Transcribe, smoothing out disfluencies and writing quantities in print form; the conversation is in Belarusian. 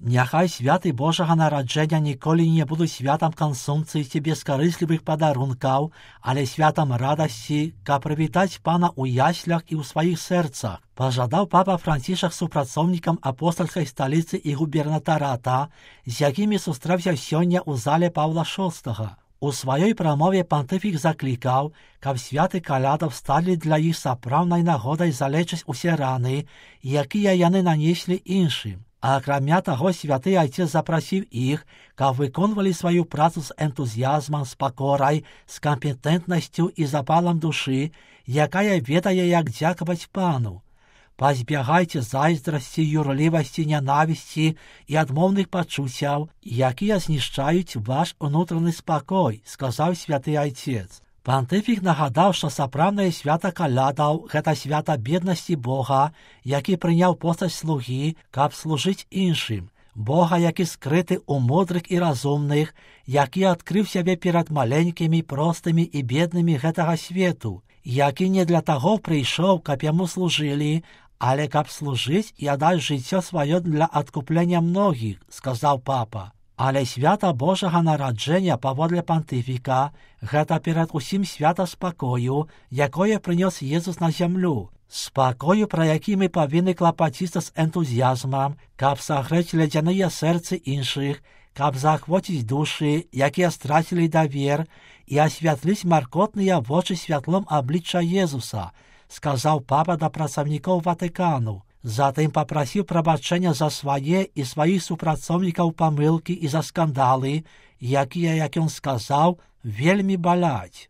Няхай святы Божага нараджэння ніколі не будуць святам кансумцыі ці бескарыслівых падарункаў, але святам радасці, каб прывітаць Пана ў яслях і ў сваіх сэрцах, пажадаў папа Францішак супрацоўнікам апостальскай сталіцы і губернатарата, з якімі сустрэўся сёння ў зале Паўла VI. У сваёй прамове пантыфік заклікаў, каб святы калядаў сталі для іх сапраўднай нагодай залечыць усе раны, якія яны нанеслі іншым. А акрамя таго, святы айцец запрасіў іх, каб выконвалі сваю працу з энтузіязмам, з пакорай, з кампетэнтнасцю і запалам душы, якая ведае, як дзякаваць Пану. Пазбягайце зайздрасці, юрлівасці, нянавісці і адмоўных пачуццяў, якія знішчаюць ваш унутраны спакой, сказаў святы айцец. Пантыфік нагадаў, што сапраўднае свята калядаў – гэта свята беднасці Бога, які прыняў постаць слугі, каб служыць іншым. Бога, які скрыты ў мудрых і разумных, які адкрыў сябе перад маленькімі, простымі і беднымі гэтага свету, які не для таго прыйшоў, каб яму служылі, але каб служыць і аддаць жыццё сваё для адкуплення многіх, сказаў папа. Але свята Божага нараджэння паводле пантыфіка – гэта перад усім свята спакою, якое прынёс Езус на зямлю. Спакою, пра які мы павінны клапаціцца з энтузіязмам, каб сагрэць ледзяныя сэрцы іншых, каб заахвоціць душы, якія страцілі давер, і асвятліць маркотныя вочы святлом аблічча Езуса, сказаў папа да працаўнікоў Ватыкану. Затым папрасіў прабачэння за свае і сваіх супрацоўнікаў памылкі і за скандалы, якія, як ён сказаў, вельмі баляць.